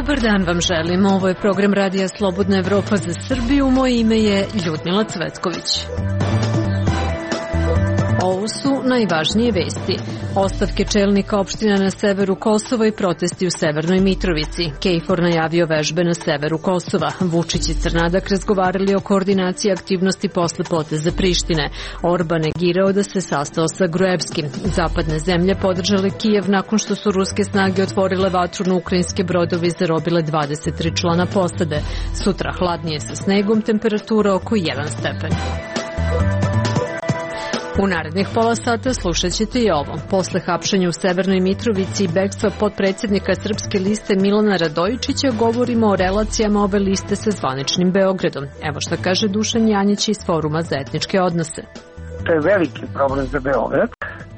Dobar dan vam želim. Ovo je program Radija Slobodna Evropa za Srbiju. Moje ime je Ljudmila Cvetković. Ovo su najvažnije vesti. Ostavke čelnika opština na severu Kosova i protesti u Severnoj Mitrovici. KFOR najavio vežbe na severu Kosova. Vučić i Crnadak razgovarali o koordinaciji aktivnosti posle poteza Prištine. Orban negirao da se sastao sa Gruevskim. Zapadne zemlje podržale Kijev nakon što su ruske snage otvorile vatru na ukrajinske brodove i zarobile 23 člana posade. Sutra hladnije sa snegom, temperatura oko 1 stepen. U narednih pola sata slušat ćete i ovo. Posle hapšenja u Severnoj Mitrovici i bekstva potpredsjednika Srpske liste Milana Radojičića govorimo o relacijama ove liste sa zvaničnim Beogradom. Evo šta kaže Dušan Janjić iz Foruma za etničke odnose. To je veliki problem za Beograd,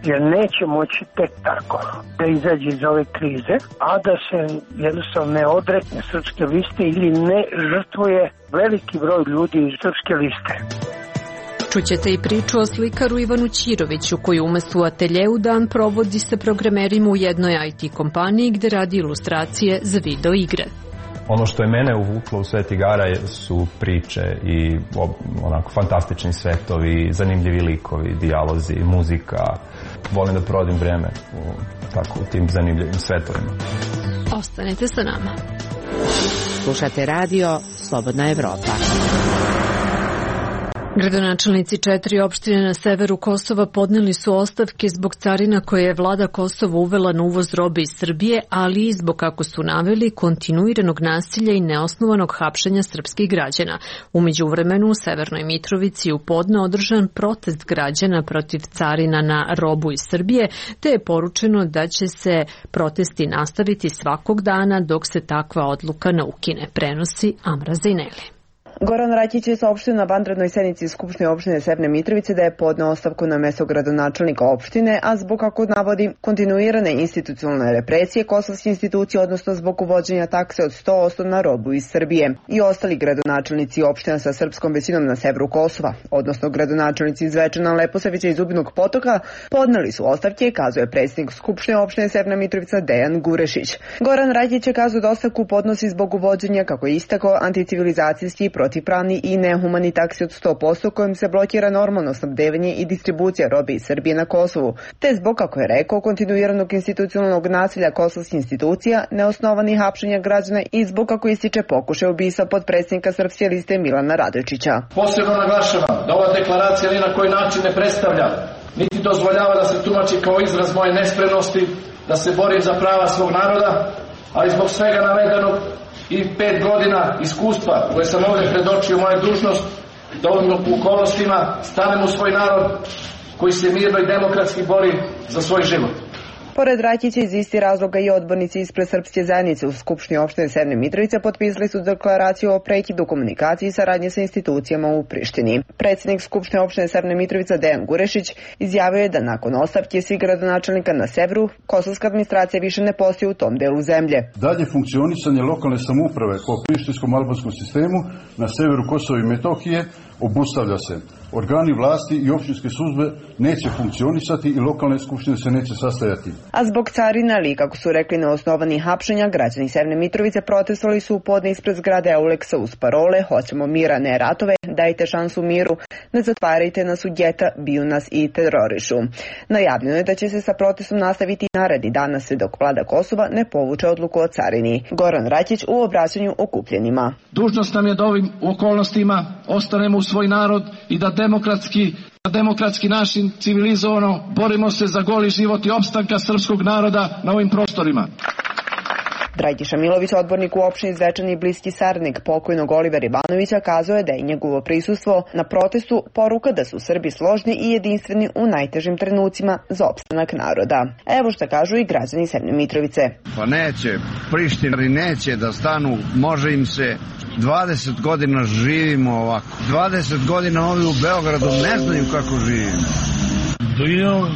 jer neće moći tek tako da izađe iz ove krize, a da se jednostavno ne odrekne Srpske liste ili ne žrtvuje veliki broj ljudi iz Srpske liste. Čućete i priču o slikaru Ivanu Ćiroviću, koji umesto u ateljeu dan provodi sa programerima u jednoj IT kompaniji gde radi ilustracije za video igre. Ono što je mene uvuklo u svet igara su priče i onako fantastični svetovi, zanimljivi likovi, dijalozi, muzika. Volim da provodim vreme u tim zanimljivim svetovima. Ostanite sa nama. Slušate radio Slobodna Evropa. Gradonačelnici 4 opštine na severu Kosova podneli su ostavke zbog carina koje je vlada Kosova uvela na uvoz robe iz Srbije, ali i zbog, kako su naveli, kontinuiranog nasilja i neosnovanog hapšenja srpskih građana. U međuvremenu u Severnoj Mitrovici u podne održan protest građana protiv carina na robu iz Srbije, te je poručeno da će se protesti nastaviti svakog dana dok se takva odluka ne ukine, prenosi Amra Zejneli. Goran Rakić je saopštio na vanrednoj sednici Skupštine opštine Severne Mitrovice da je podneo ostavku na mesto gradonačelnika opštine, a zbog, kako navodi, kontinuirane institucionalne represije kosovske institucije, odnosno zbog uvođenja takse od 100% na robu iz Srbije. I ostali gradonačelnici opština sa srpskom većinom na severu Kosova, odnosno gradonačelnici iz Zvečana, Leposavića i Zubinog Potoka, podneli su ostavke, kazuje predsjednik Skupštine opštine Severna Mitrovica Dejan Gurešić. Goran Rakić je kazao da ostavku podnosi zbog uvođenja, kako je istakao, anticivilizacijski, protivpravni i nehumani taksi od 100% kojim se blokira normalno snabdevanje i distribucija robe iz Srbije na Kosovu, te zbog, kako je rekao, kontinuiranog institucionalnog nasilja kosovskih institucija, neosnovanih hapšenja građana i zbog, kako ističe, pokušaj ubistva potpredsjednika Srpske liste Milana Radojičića. Posebno naglašavam da ova deklaracija ni na koji način ne predstavlja, niti dozvoljava da se tumači kao izraz moje nespremnosti da se borim za prava svog naroda, ali zbog svega navedenog i 5 godina iskustva koje sam ovdje predočio moju dužnost da ovim okolnostima stanem u svoj narod koji se mirno i demokratski bori za svoj život. Pored Rakića iz isti razloga i odbornici ispred Srpske zajednice u Skupštini opštine Severne Mitrovice potpisali su deklaraciju o prekidu komunikacije i saradnje sa institucijama u Prištini. Predsjednik Skupštine opštine Severne Mitrovice Dejan Gurešić izjavio je da nakon ostavke svih gradonačelnika na severu, kosovska administracija više ne postoji u tom delu zemlje. Dalje funkcionisanje lokalne samouprave po prištinskom albanskom sistemu na severu Kosova i Metohije obustavlja se. Organi vlasti i opštinske službe neće funkcionisati i lokalne skupštine se neće sastajati. A zbog carina, ali kako su rekli neosnovanih hapšenja, građani Severne Mitrovice protestovali su u podne ispred zgrade Euleksa uz parole "Hoćemo mira, ne ratove, dajte šansu miru, ne zatvarajte nas u geta, biju nas i terorišu". Najavljeno je da će se sa protestom nastaviti naredni dana sve dok vlada Kosova ne povuče odluku o carini. Goran Rakić u obraćanju okupljenima. Dužnost nam je da ovim okolnostima ostanemo u svoj narod i da demokratski način civilizovano borimo se za goli život i opstanka srpskog naroda na ovim prostorima. Dragiša Milović, odbornik u opštini Zvečan i bliski saradnik pokojnog Olivera Ivanovića, kazao je da je njegovo prisustvo na protestu poruka da su Srbi složni i jedinstveni u najtežim trenucima za opstanak naroda. Evo šta kažu i građani Severne Mitrovice. Pa neće, Prištinari neće da stanu, može im se. 20 godina živimo ovako. 20 godina ovi u Beogradu ne znaju kako živimo.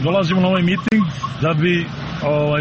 Dolazimo na ovaj miting da bi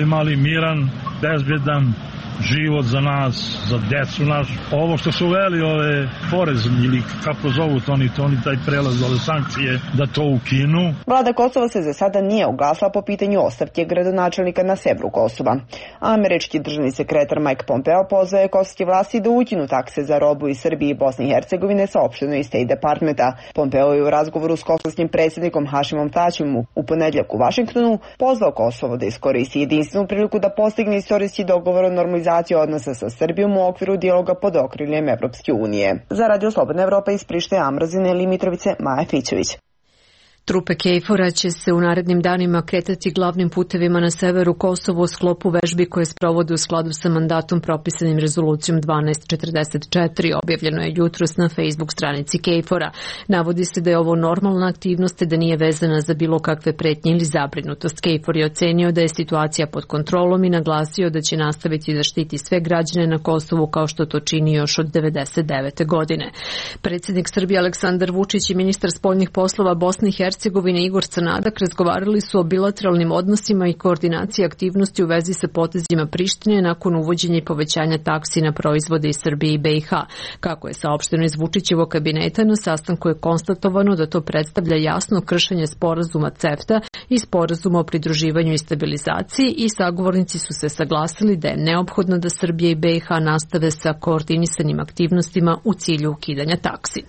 imali miran, bezbedan život za nas, za decu naš. Ovo što su uveli ove porez ili kako zovu oni taj prelaz, ove sankcije, da to ukinu. Vlada Kosova se za sada nije oglasila po pitanju ostavke gradonačelnika na severu Kosova. Američki državni sekretar Mike Pompeo pozvao je kosovske vlasti da ukinu takse za robu iz Srbije i Bosne i Hercegovine, saopšteno iz State Departmenta. Pompeo je u razgovoru s kosovskim predsjednikom Hašimom Taćim u ponedjeljak u Vašingtonu pozvao Kosovo da iskoristi jedinstvenu priliku da postigne istorijski dogovor o normalizaciji odnosa sa Srbijom u okviru dijaloga pod okriljem Evropske unije. Za Radio Slobodna Evropa iz Prištine, Ambrazine ili Mitrovice, Maja Fićević. Trupe KFOR-a će se u narednim danima kretati glavnim putevima na severu Kosova u sklopu vežbi koje sprovode u skladu sa mandatom propisanim rezolucijom 1244, objavljeno je jutros na Facebook stranici KFOR-a. Navodi se da je ovo normalna aktivnost i da nije vezana za bilo kakve pretnje ili zabrinutost. KFOR je ocenio da je situacija pod kontrolom i naglasio da će nastaviti da štiti sve građane na Kosovu kao što to čini još od 1999. godine. Predsjednik Srbije Aleksandar Vučić i ministar spoljnih poslova Bosne i Hercegovine Igor Crnadak razgovarali su o bilateralnim odnosima i koordinaciji aktivnosti u vezi sa potezima Prištine nakon uvođenja i povećanja taksi na proizvode iz Srbije i BiH. Kako je saopšteno iz Vučićevog kabineta, na sastanku je konstatovano da to predstavlja jasno kršenje sporazuma CEFTA i sporazuma o pridruživanju i stabilizaciji i sagovornici su se saglasili da je neophodno da Srbija i BiH nastave sa koordinisanim aktivnostima u cilju ukidanja taksi.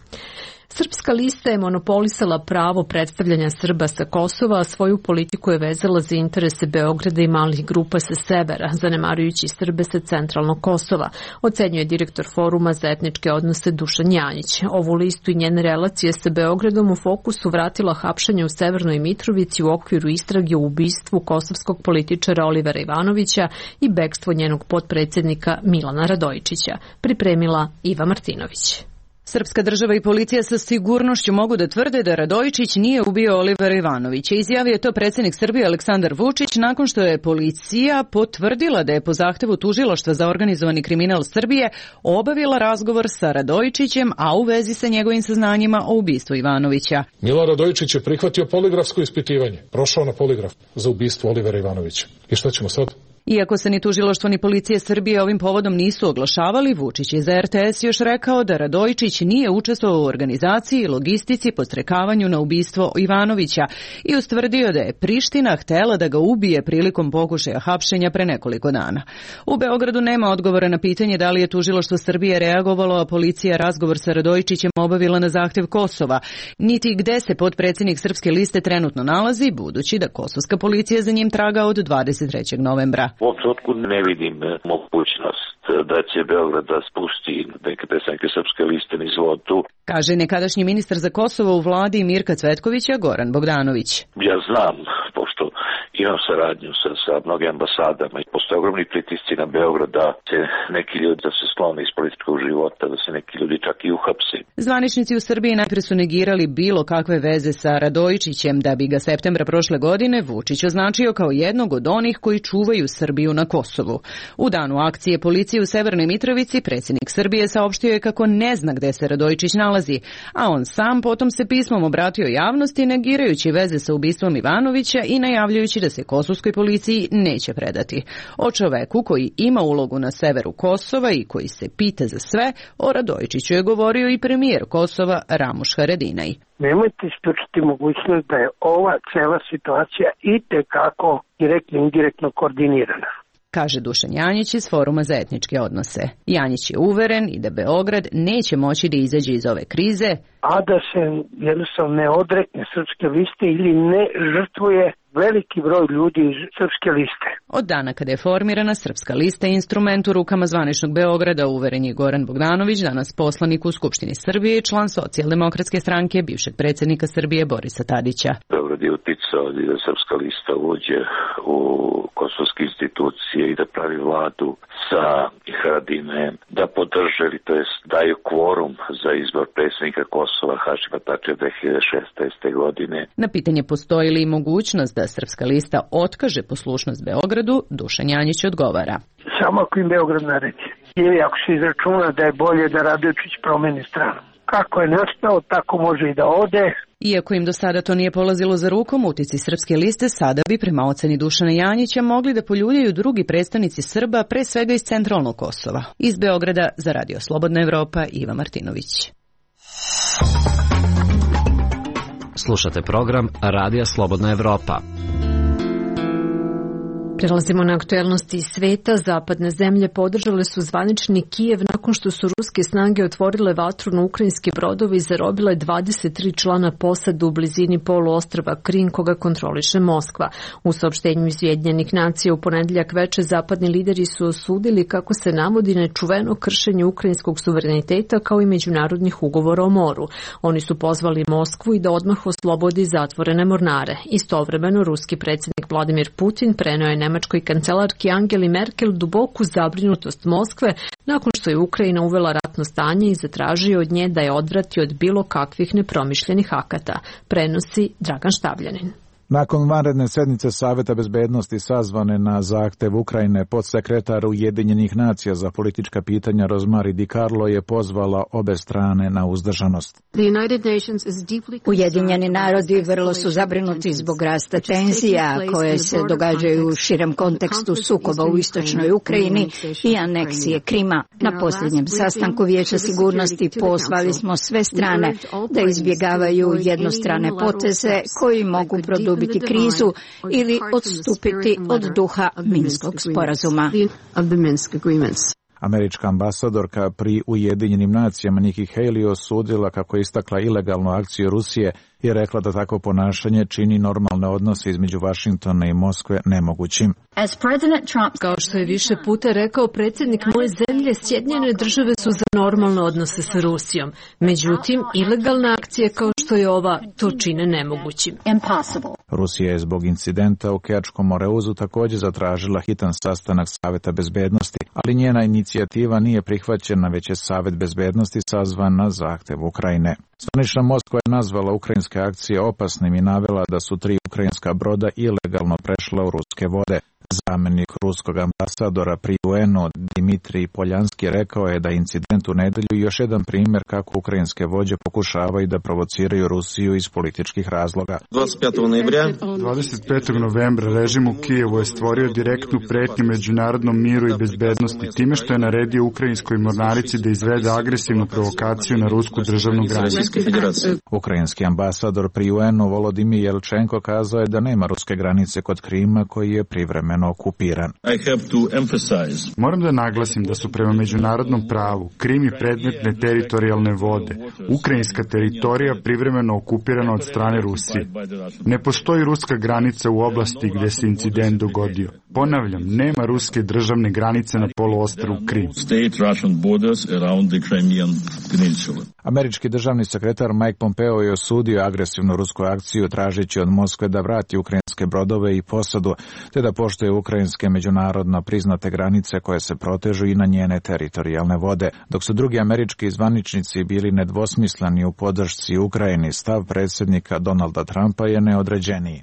Srpska lista je monopolisala pravo predstavljanja Srba sa Kosova, a svoju politiku je vezala za interese Beograda i malih grupa sa severa, zanemarujući Srbe sa centralnog Kosova, ocenjuje direktor Foruma za etničke odnose Dušan Janjić. Ovu listu i njene relacije sa Beogradom u fokusu vratila hapšanje u Severnoj Mitrovici u okviru istrage u ubistvu kosovskog političara Olivera Ivanovića i bekstvo njenog potpredsjednika Milana Radojičića. Pripremila Iva Martinović. Srpska država i policija sa sigurnošću mogu da tvrde da Radojičić nije ubio Olivera Ivanovića. Izjavio je to predsjednik Srbije Aleksandar Vučić nakon što je policija potvrdila da je po zahtevu Tužilaštva za organizovani kriminal Srbije obavila razgovor sa Radojičićem, a u vezi sa njegovim saznanjima o ubistvu Ivanovića. Milan Radojičić je prihvatio poligrafsko ispitivanje, prošao na poligraf za ubistvo Olivera Ivanovića. I šta ćemo sad? Iako se ni Tužilaštvo ni policije Srbije ovim povodom nisu oglašavali, Vučić je za RTS još rekao da Radojičić nije učestvovao u organizaciji i logistici podstrekavanju na ubistvo Ivanovića i ustvrdio da je Priština htela da ga ubije prilikom pokušaja hapšenja pre nekoliko dana. U Beogradu nema odgovora na pitanje da li je Tužilaštvo Srbije reagovalo, a policija razgovor sa Radojičićem obavila na zahtev Kosova, niti gde se potpredsjednik Srpske liste trenutno nalazi, budući da kosovska policija za njim traga od 23. novembra. U ovom trenutku ne vidim mogućnost da će Beograd da spusti neke predstavnike Srpske liste niz vodu. Kaže nekadašnji ministar za Kosovo u vladi Mirka Cvetkovića Goran Bogdanović. Ja znam, pošto imam saradnju sa mnogim ambasadama i postoje ogromni pritisci na Beograd da se neki ljudi da se sklone iz političkog života, da se neki ljudi čak i uhapse. Zvaničnici u Srbiji najpre su negirali bilo kakve veze sa Radojičićem, da bi ga septembra prošle godine Vučić označio kao jednog od onih koji čuvaju Srbiju na Kosovu. U danu akcije policije u Severnoj Mitrovici predsjednik Srbije saopštio je kako ne zna gde se Radojičić nalazi, a on sam potom se pismom obratio javnosti negirajući veze sa ubistvom Ivanovića i najavljujući da se kosovskoj policiji neće predati. O čoveku koji ima ulogu na severu Kosova i koji se pita za sve, o Radojičiću je govorio i premijer Kosova Ramuš Haradinaj. Nemojte isključiti mogućnost da je ova cela situacija itekako direktno i indirektno koordinirana, kaže Dušan Janjić iz Foruma za etničke odnose. Janjić je uveren i da Beograd neće moći da izađe iz ove krize, a da se jednostavno ne odrekne Srpske liste ili ne žrtvuje veliki broj ljudi iz Srpske liste. Od dana kada je formirana Srpska lista instrument u rukama zvaničnog Beograda, uveren je Goran Bogdanović, danas poslanik u Skupštini Srbije i član Socijaldemokratske stranke bivšeg predsjednika Srbije Borisa Tadića. Beograd je uticao da Srpska lista uđe u kosovske institucije i da pravi vladu sa Haradinajem, da podrže ili to jest daju kvorum za izbor predsjednika Kosova Hašima Tačija 2016. godine. Na pitanje postoji li mogućnost da Srpska lista otkaže poslušnost Beogradu, Dušan Janjić odgovara. Samo ako im Beograd naredi. Ili ako se izračuna da je bolje da Radojičić promeni stranu. Kako je nastao, tako može i da ode. Iako im do sada to nije polazilo za rukom, utisci Srpske liste sada bi prema oceni Dušana Janjića mogli da poljuljaju drugi predstavnici Srba, pre svega iz centralnog Kosova. Iz Beograda za Radio Slobodna Evropa, Iva Martinović. Slušate program Radija Slobodna Evropa. Prelazimo na aktuelnosti iz sveta. Zapadne zemlje podržale su zvanični Kijev nakon što su ruske snage otvorile vatru na ukrajinski brodovi i zarobile 23 člana posade u blizini poluostrva Krim koga kontroliše Moskva. U saopštenju iz Ujedinjenih nacija u ponedeljak veče zapadni lideri su osudili kako se navodi nečuveno kršenje ukrajinskog suvereniteta kao i međunarodnih ugovora o moru. Oni su pozvali Moskvu i da odmah oslobodi zatvorene mornare. Istovremeno ruski predsjednik Vladimir Putin preneo je nemačkoj kancelarki Angeli Merkel duboku zabrinutost Moskve nakon što je Ukrajina uvela ratno stanje i zatražio od nje da je odvrati od bilo kakvih nepromišljenih akata, prenosi Dragan Štavljanin. Nakon vanredne sednice Saveta bezbednosti sazvane na zahtev Ukrajine, podsekretar Ujedinjenih nacija za politička pitanja Rozmari Di Carlo je pozvala obe strane na uzdržanost. Ujedinjeni narodi vrlo su zabrinuti zbog rasta tenzija koje se događaju u širem kontekstu sukoba u istočnoj Ukrajini i aneksije Krima. Na posljednjem sastanku Vijeća sigurnosti pozvali smo sve strane da izbjegavaju jednostrane poteze koji mogu produbiti krizu ili odstupiti od duha Minskog sporazuma. Američka ambasadorka pri Ujedinjenim nacijama Nikki Haley osudila kako je istakla ilegalnu akciju Rusije i rekla da takvo ponašanje čini normalne odnose između Vašingtona i Moskve nemogućim. Kao što je više puta rekao predsjednik moje zemlje, Sjedinjene države su za normalne odnose sa Rusijom. Međutim, ilegalna akcija kao što je ova to čine nemogućim. Rusija je zbog incidenta u Kerčkom Moreuzu također zatražila hitan sastanak Saveta bezbednosti, ali njena inicijativa nije prihvaćena, već je Savet bezbednosti sazvan na zahtev Ukrajine. Zvanična Moskva je nazvala ukrajinske akcije opasnim i navela da su 3 ukrajinska broda ilegalno prešla u ruske vode. Zamenik ruskog ambasadora pri UN-u Dimitrij Poljanski rekao je da incident u nedelju još jedan primjer kako ukrajinske vođe pokušavaju da provociraju Rusiju iz političkih razloga. 25. novembra režim u Kijevu je stvorio direktnu pretnju međunarodnom miru i bezbednosti time što je naredio ukrajinskoj mornarici da izvede agresivnu provokaciju na rusku državnu granicu. Ukrajinski ambasador pri UN-u Volodimir Jelčenko kazao je da nema ruske granice kod Krima koji je privremeno okupiran. Moram da naglasim da su prema međunarodnom pravu Krim i predmetne teritorijalne vode, ukrajinska teritorija privremeno okupirana od strane Rusije. Ne postoji ruska granica u oblasti gdje se incident dogodio. Ponavljam, nema ruske državne granice na poluostrvu Krim. Američki državni sekretar Mike Pompeo je osudio agresivnu rusku akciju tražeći od Moskve da vrati ukrajinske brodove i posadu, te da poštuje ukrajinske međunarodno priznate granice koje se protežu i na njene teritorijalne vode. Dok su drugi američki zvaničnici bili nedvosmisleni u podršci Ukrajini, stav predsjednika Donalda Trumpa je neodređeniji.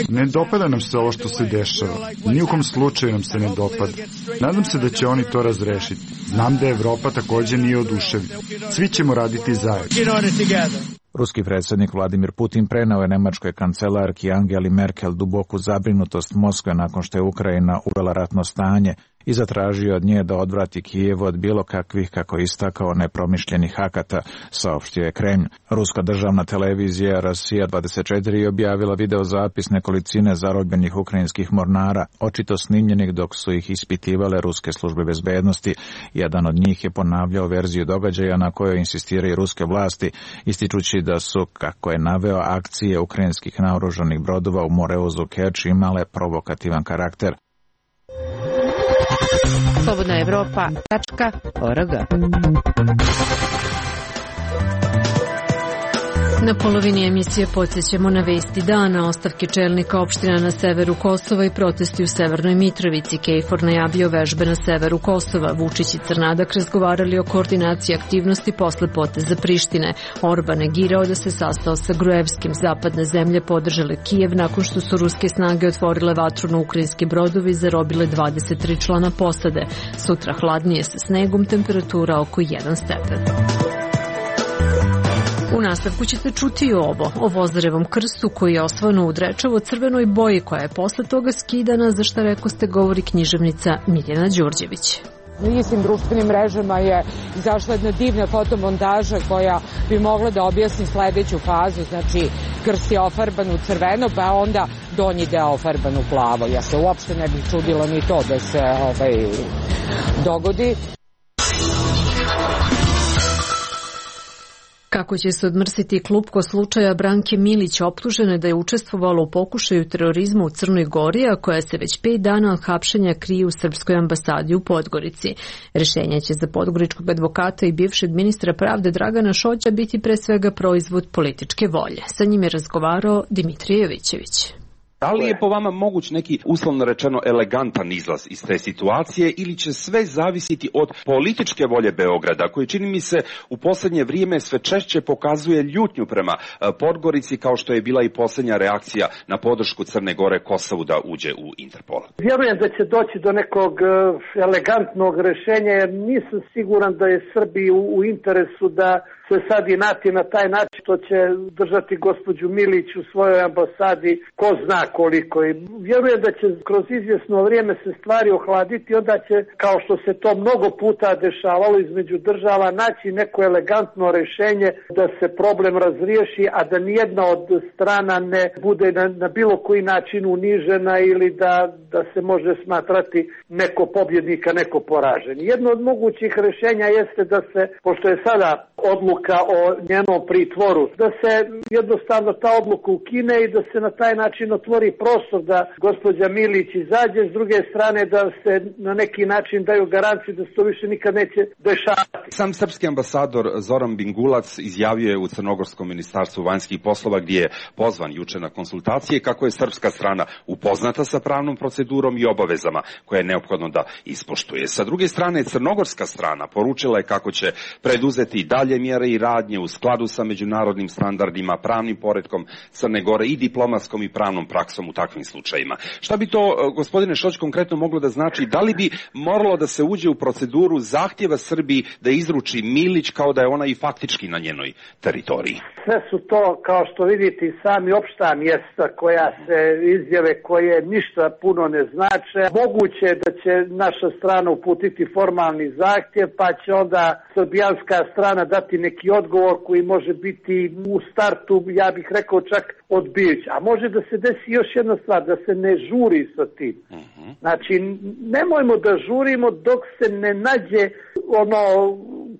Ne dopada nam se ovo što se dešava. Ni u kom slučaju nam se ne dopada. Nadam se da će oni to razrešiti. Znam da Evropa također nije oduševljena. Svi ćemo raditi zajedno. Ruski predsjednik Vladimir Putin preneo je nemačkoj kancelarki Angeli Merkel duboku zabrinutost Moskve nakon što je Ukrajina uvela ratno stanje i zatražio od nje da odvrati Kijev od bilo kakvih, kako je istakao, nepromišljenih akata, saopštio je Kremlj. Ruska državna televizija Rusija 24 je objavila videozapis nekolicine zarobljenih ukrajinskih mornara, očito snimljenih dok su ih ispitivale ruske službe bezbednosti. Jedan od njih je ponavljao verziju događaja na kojoj insistiraju ruske vlasti, ističući da su, kako je naveo, akcije ukrajinskih naoružanih brodova u Moreuzu Kerč imale provokativan karakter. Slobodna Evropa.org. Na polovini emisije podsjećamo na vesti dana, ostavke čelnika opština na severu Kosova i protesti u Severnoj Mitrovici. KFOR najavio vežbe na severu Kosova. Vučić i Crnadak razgovarali o koordinaciji aktivnosti posle poteza Prištine. Orban negirao da se sastao sa Gruevskim. Zapadne zemlje podržale Kijev nakon što su ruske snage otvorile vatru na ukrajinski brodovi i zarobile 23 člana posade. Sutra hladnije sa snegom, temperatura oko 1 stepen. U nastavku ćete čuti o Vozarevom krstu koji je osvojen u Drečevo crvenoj boji koja je posle toga skidana, za šta rekoste govori književnica Mirjana Đurđević. Na istim društvenim mrežama je izašla jedna divna fotomontaža koja bi mogla da objasni sledeću fazu, znači krst je ofarban u crveno, pa onda donji deo ofarban u plavo. Ja se uopšte ne bih čudila ni to da se dogodi. Kako će se odmrsiti klupko slučaja Branke Milić, optužene da je učestvovala u pokušaju terorizma u Crnoj Gori, a koja se već 5 dana od hapšenja krije u Srpskoj ambasadi u Podgorici. Rešenje će za podgoričkog advokata i bivšeg ministra pravde Dragana Šoća biti pre svega proizvod političke volje. Sa njim je razgovarao Dimitrije Jovićević. Da li je po vama moguć neki, uslovno rečeno, elegantan izlaz iz te situacije ili će sve zavisiti od političke volje Beograda, koji čini mi se u poslednje vrijeme sve češće pokazuje ljutnju prema Podgorici, kao što je bila i posljednja reakcija na podršku Crne Gore Kosovu da uđe u Interpol? Vjerujem da će doći do nekog elegantnog rešenja, jer nisam siguran da je Srbiji u interesu da se sad inati na taj način što će držati gospođu Milić u svojoj ambasadi ko zna koliko. I vjerujem da će kroz izvjesno vrijeme se stvari ohladiti, onda će, kao što se to mnogo puta dešavalo između država, naći neko elegantno rešenje da se problem razriješi, a da nijedna od strana ne bude na bilo koji način unižena ili da se može smatrati neko pobjednika, neko poražen. Jedno od mogućih rešenja jeste da se, pošto je sada odluka o njenom pritvoru, da se jednostavno ta odluka ukine i da se na taj način otvori prostor da gospođa Milić izađe, s druge strane da se na neki način daju garancije da se to više nikad neće dešavati. Sam srpski ambasador Zoran Bingulac izjavio je u Crnogorskom ministarstvu vanjskih poslova, gdje je pozvan juče na konsultacije, kako je srpska strana upoznata sa pravnom procedurom i obavezama koje je neophodno da ispoštuje. Sa druge strane, crnogorska strana poručila je kako će preduzeti dalje mjere i radnje u skladu sa međunarodnim standardima, pravnim poretkom Crne Gore i diplomatskom i pravnom praksom u takvim slučajima. Šta bi to, gospodine Šoć, konkretno moglo da znači? Da li bi moralo da se uđe u proceduru zahtjeva Srbiji da izruči Milić kao da je ona i faktički na njenoj teritoriji? Sve su to, kao što vidite, i sami opšta mjesta koja se izjave koje ništa puno ne znače. Moguće je da će naša strana uputiti formalni zahtjev, pa će onda srbijanska strana dati neki odgovor koji može biti u startu, ja bih rekao, čak odbijući. A može da se desi još jedna stvar, da se ne žuri sa tim. Znači, nemojmo da žurimo dok se ne nađe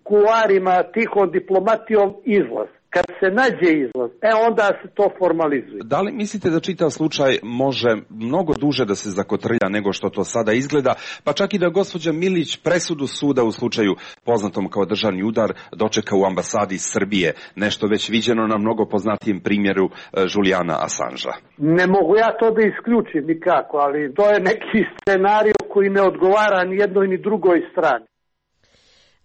kularima, tihom diplomatijom izlaz. Kad se nađe izlaz, onda se to formalizuje. Da li mislite da čitav slučaj može mnogo duže da se zakotrlja nego što to sada izgleda, pa čak i da gospođa Milić presudu suda u slučaju poznatom kao državni udar dočeka u ambasadi Srbije, nešto već viđeno na mnogo poznatijem primjeru Julijana Assangea? Ne mogu ja to da isključim nikako, ali to je neki scenario koji ne odgovara ni jednoj ni drugoj strani.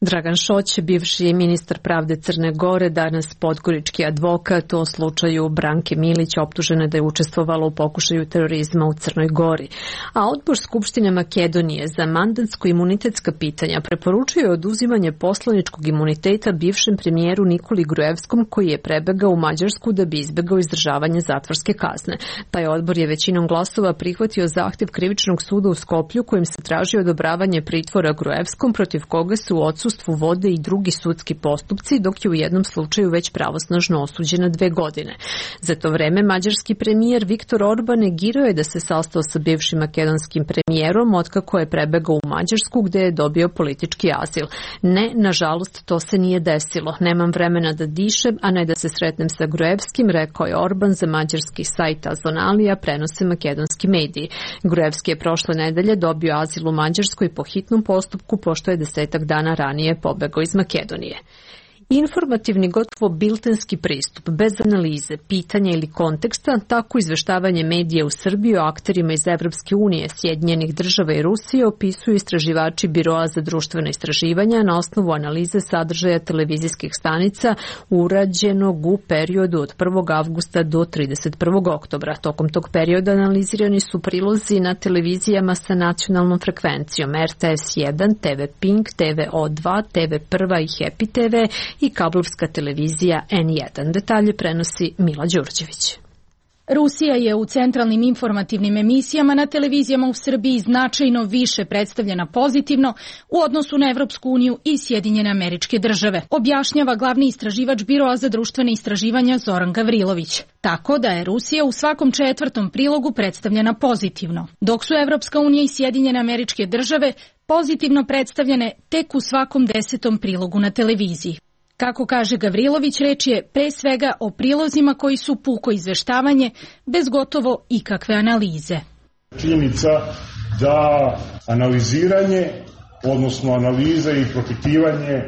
Dragan Šoć, bivši ministar pravde Crne Gore, danas podgorički advokat o slučaju Branke Milić, optužene da je učestvovala u pokušaju terorizma u Crnoj Gori. A odbor Skupštine Makedonije za mandatsko-imunitetska pitanja preporučuje oduzimanje poslaničkog imuniteta bivšem premijeru Nikoli Gruevskom, koji je prebegao u Mađarsku da bi izbegao izdržavanje zatvorske kazne. Taj odbor je većinom glasova prihvatio zahtjev Krivičnog suda u Skoplju, kojim se traži odobravanje pritvora Gruevskom, protiv koga su u odsustvu vode i drugi sudski postupci, dok je u jednom slučaju već pravosnažno osuđena 2 godine. Za to vreme mađarski premijer Viktor Orban negirao je da se sastao sa bivšim makedonskim premijerom otkako je prebegao u Mađarsku, gde je dobio politički azil. Ne, nažalost, to se nije desilo. Nemam vremena da dišem, a ne da se sretnem sa Gruevskim, rekao je Orban za mađarski sajt Azonalija, prenose makedonski mediji. Gruevski je prošle nedelje dobio azil u Mađarskoj po hitnom postupku, pošto je 10 dana ranije pobegao iz Makedonije. Informativni, gotovo biltenski pristup, bez analize, pitanja ili konteksta, tako izveštavanje medija u Srbiji o akterima iz Evropske unije, Sjedinjenih država i Rusije opisuju istraživači Biroa za društvena istraživanja na osnovu analize sadržaja televizijskih stanica urađenog u periodu od 1. avgusta do 31. oktobra. Tokom tog perioda analizirani su prilozi na televizijama sa nacionalnom frekvencijom RTS 1, TV Pink, TV O2, TV Prva i Happy TV i kablovska televizija N1. Detalje prenosi Mila Đurđević. Rusija je u centralnim informativnim emisijama na televizijama u Srbiji značajno više predstavljena pozitivno u odnosu na Evropsku uniju i Sjedinjene Američke Države, objašnjava glavni istraživač Biroa za društvene istraživanja Zoran Gavrilović. Tako da je Rusija u svakom 4. prilogu predstavljena pozitivno, dok su Evropska unija i Sjedinjene Američke Države pozitivno predstavljene tek u svakom 10. prilogu na televiziji. Kako kaže Gavrilović, reč je pre svega o prilozima koji su puko izveštavanje, bez gotovo ikakve analize. Činjenica da analiziranje, odnosno analiza i propitivanje,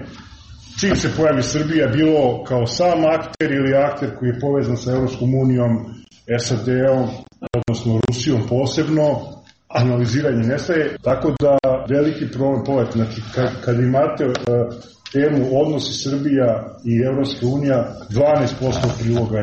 čim se pojavi Srbija, bilo kao sam akter ili akter koji je povezan sa Evropskom unijom, SAD-om, odnosno Rusijom posebno, analiziranje nestaje, tako da veliki problem poveti. Znači, kad imate temu odnosi Srbija i Evropska unija, 12% priloga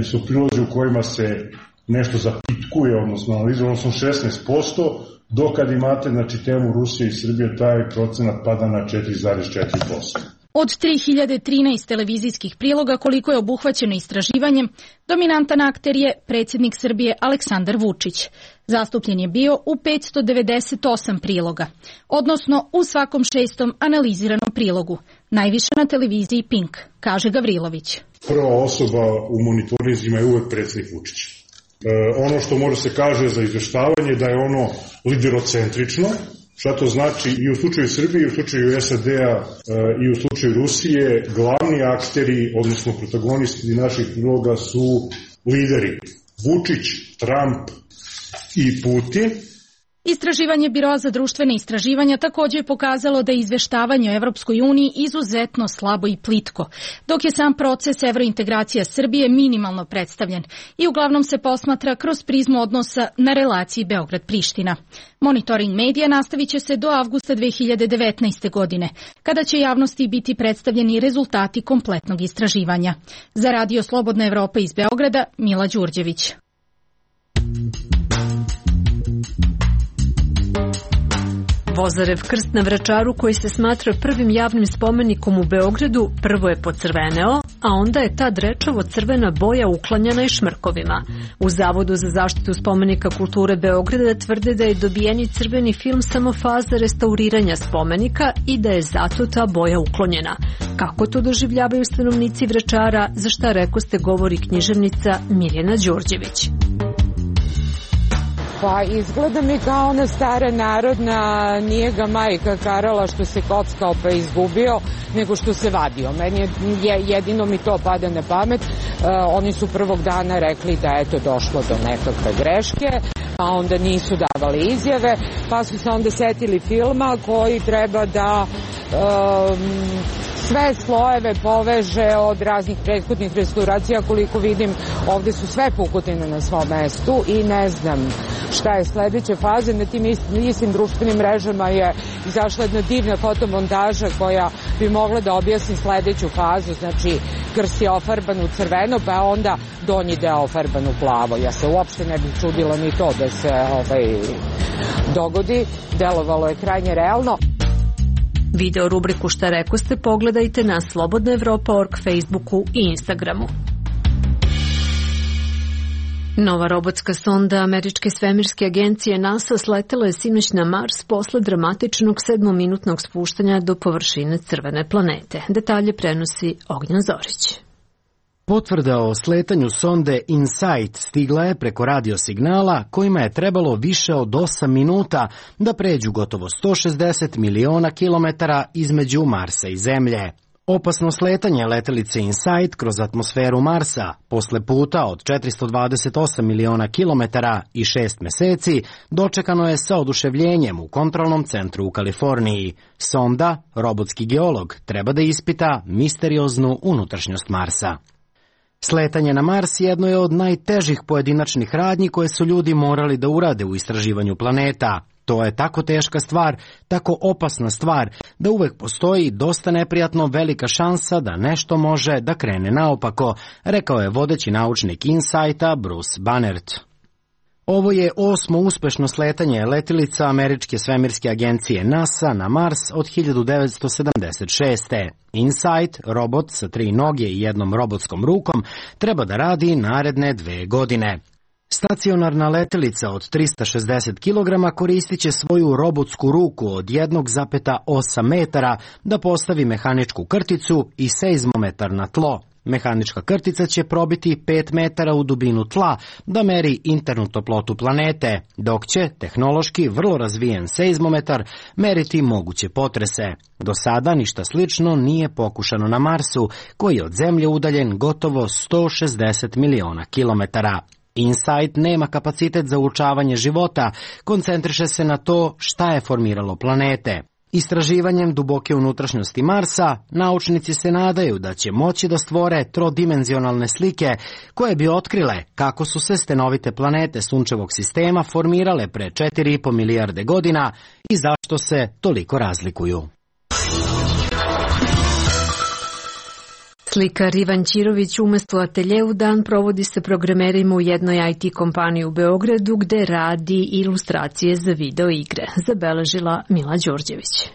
su prilozi u kojima se nešto zapitkuje, odnosno analizuje, odnosno 16%, dok kad imate temu Rusije i Srbije, taj procenat pada na 4,4%. Od 3013 televizijskih priloga koliko je obuhvaćeno istraživanjem, dominantan akter je predsjednik Srbije Aleksandar Vučić. Zastupljen je bio u 598 priloga, odnosno u svakom 6. analiziranom prilogu, najviše na televiziji Pink, kaže Gavrilović. Prva osoba u monitorizima je uvek predsjednik Vučić. Ono što može se kaže za izveštavanje da je ono liderocentrično. Šta to znači? I u slučaju Srbije, i u slučaju SAD-a, i u slučaju Rusije, glavni akteri, odnosno protagonisti naših priloga su lideri. Vučić, Trump i Putin. Istraživanje Biroa za društvene istraživanja također je pokazalo da je izveštavanje o Evropskoj uniji izuzetno slabo i plitko, dok je sam proces evrointegracija Srbije minimalno predstavljen i uglavnom se posmatra kroz prizmu odnosa na relaciji Beograd-Priština. Monitoring medija nastavit će se do avgusta 2019. godine, kada će javnosti biti predstavljeni rezultati kompletnog istraživanja. Za Radio Slobodna Evropa iz Beograda, Mila Đurđević. Vozarev krst na Vračaru, koji se smatra prvim javnim spomenikom u Beogradu, prvo je pocrveneo, a onda je ta drečavo crvena boja uklanjana i šmrkovima. U Zavodu za zaštitu spomenika kulture Beograda tvrde da je dobijeni crveni film samo faza restauriranja spomenika i da je zato ta boja uklonjena. Kako to doživljavaju stanovnici Vračara, za šta rekoste govori književnica Mirjana Đurđević. Pa izgleda mi kao ona stara narodna, nije ga majka karala što se kockao pa izgubio, nego što se vadio. Meni jedino mi to pada na pamet. Oni su prvog dana rekli da je to došlo do nekakve greške, pa onda nisu davali izjave, pa su se onda setili filma koji treba da sve slojeve poveže od raznih prethodnih restauracija. Koliko vidim, ovde su sve pukotine na svom mestu i ne znam šta je sledeća faza. Na tim istim društvenim mrežama je izašla jedna divna fotomontaža koja bi mogla da objasni sledeću fazu. Znači, krst je ofarban u crveno, pa onda donji deo ofarban u plavo. Ja se uopšte ne bih čudila ni to da se dogodi. Delovalo je krajnje realno. Video rubriku Šta rekoste pogledajte na slobodnaevropa.org, Facebooku i Instagramu. Nova robotska sonda američke svemirske agencije NASA sletela je sinoć na Mars posle dramatičnog 7-minutnog spuštanja do površine crvene planete. Detalje prenosi Ognjen Zorić. Potvrda o sletanju sonde InSight stigla je preko radiosignala kojima je trebalo više od 8 minuta da pređu gotovo 160 miliona kilometara između Marsa i Zemlje. Opasno sletanje letelice InSight kroz atmosferu Marsa posle puta od 428 miliona kilometara i 6 meseci dočekano je sa oduševljenjem u kontrolnom centru u Kaliforniji. Sonda, robotski geolog, treba da ispita misterioznu unutrašnjost Marsa. Sletanje na Mars jedno je od najtežih pojedinačnih radnji koje su ljudi morali da urade u istraživanju planeta. To je tako teška stvar, tako opasna stvar, da uvek postoji dosta neprijatno velika šansa da nešto može da krene naopako, rekao je vodeći naučnik InSighta Bruce Bannert. Ovo je 8. uspešno sletanje letilica američke svemirske agencije NASA na Mars od 1976. InSight, robot sa 3 noge i jednom robotskom rukom, treba da radi naredne 2 godine. Stacionarna letelica od 360 kg koristit će svoju robotsku ruku od 1,8 metara da postavi mehaničku krticu i seizmometar na tlo. Mehanička krtica će probiti 5 metara u dubinu tla da meri internu toplotu planete, dok će tehnološki vrlo razvijen seizmometar meriti moguće potrese. Do sada ništa slično nije pokušano na Marsu, koji je od Zemlje udaljen gotovo 160 miliona kilometara. InSight nema kapacitet za uočavanje života, koncentriše se na to šta je formiralo planete. Istraživanjem duboke unutrašnjosti Marsa, naučnici se nadaju da će moći da stvore trodimenzionalne slike koje bi otkrile kako su se stenovite planete sunčevog sistema formirale pre 4,5 milijarde godina i zašto se toliko razlikuju. Slikar Ivan Ćirović umesto atelje u dan provodi se programerima u jednoj IT kompaniji u Beogradu gde radi ilustracije za video igre, zabeležila Mila Đorđević.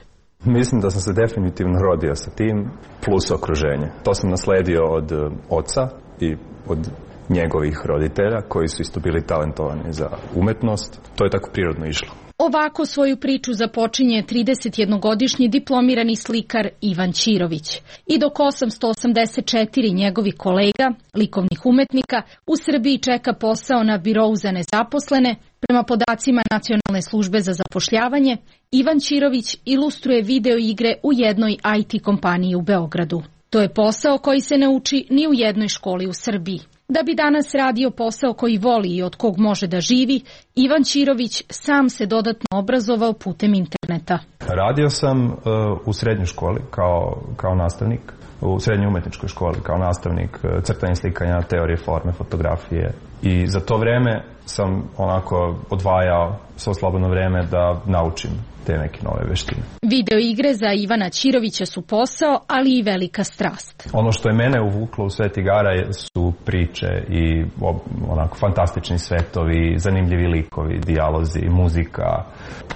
Mislim da sam se definitivno rodio sa tim, plus okruženje. To sam nasledio od oca i od njegovih roditelja koji su isto bili talentovani za umetnost. To je tako prirodno išlo. Ovako svoju priču započinje 31-godišnji diplomirani slikar Ivan Ćirović. I dok 884 njegovih kolega, likovnih umetnika, u Srbiji čeka posao na birou za nezaposlene, prema podacima Nacionalne službe za zapošljavanje, Ivan Ćirović ilustruje video igre u jednoj IT kompaniji u Beogradu. To je posao koji se ne uči ni u jednoj školi u Srbiji. Da bi danas radio posao koji voli i od kog može da živi, Ivan Ćirović sam se dodatno obrazovao putem interneta. Radio sam u srednjoj školi kao nastavnik, u srednjoj umetničkoj školi kao nastavnik crtanja, slikanja, teorije forme, fotografije. I za to vreme sam onako odvajao svo slobodno vreme da naučim te neke nove veštine. Video igre za Ivana Ćirovića su posao, ali i velika strast. Ono što je mene uvuklo u svet igara su priče i onako fantastični svetovi, zanimljivi likovi, dijalozi, muzika.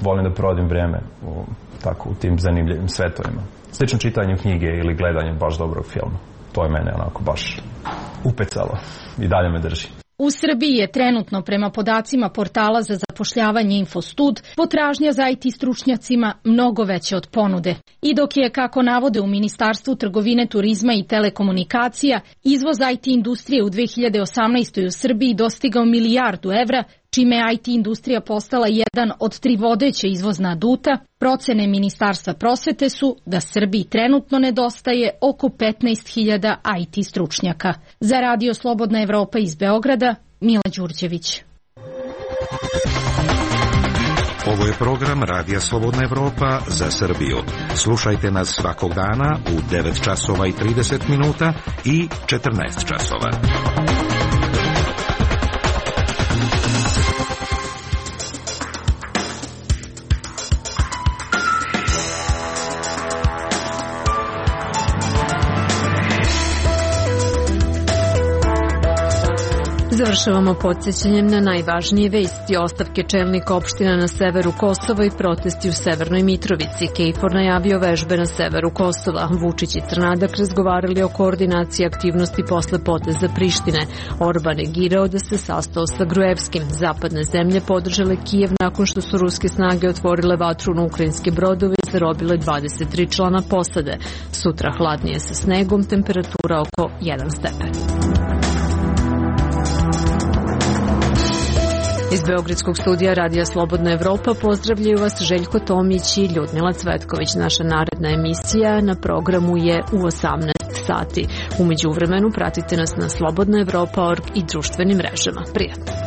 Volim da provodim vreme u tim zanimljivim svetovima. Slično čitanju knjige ili gledanju baš dobrog filma. To je mene onako baš upecalo i dalje me drži. U Srbiji je trenutno, prema podacima portala za zapošljavanje Infostud, potražnja za IT stručnjacima mnogo veća od ponude. I dok je, kako navode u Ministarstvu trgovine, turizma i telekomunikacija, izvoz IT industrije u 2018. u Srbiji dostigao milijardu evra, čime je IT industrija postala jedan od 3 vodeće izvozna aduta, procene Ministarstva prosvete su da Srbiji trenutno nedostaje oko 15.000 IT stručnjaka. Za Radio Slobodna Evropa iz Beograda, Mila Đurđević. Ovo je program Radija Slobodna Evropa za Srbiju. Slušajte nas svakog dana u 9 časova i 30 minuta i 14 časova. Završavamo podsjećanjem na najvažnije vesti. Ostavke čelnika opština na severu Kosova i protesti u Severnoj Mitrovici. KFOR najavio vežbe na severu Kosova. Vučić i Crnadak razgovarali o koordinaciji aktivnosti posle poteza Prištine. Orban negirao da se sastao sa Gruevskim. Zapadne zemlje podržale Kijev nakon što su ruske snage otvorile vatru na ukrajinske brodove i zarobile 23 člana posade. Sutra hladnije sa snegom, temperatura oko 1 stepen. Iz Beogradskog studija Radija Slobodna Evropa pozdravljaju vas Željko Tomić i Ljudmila Cvetković. Naša naredna emisija na programu je u 18 sati. U međuvremenu pratite nas na slobodnaevropa.org i društvenim mrežama. Prijatno!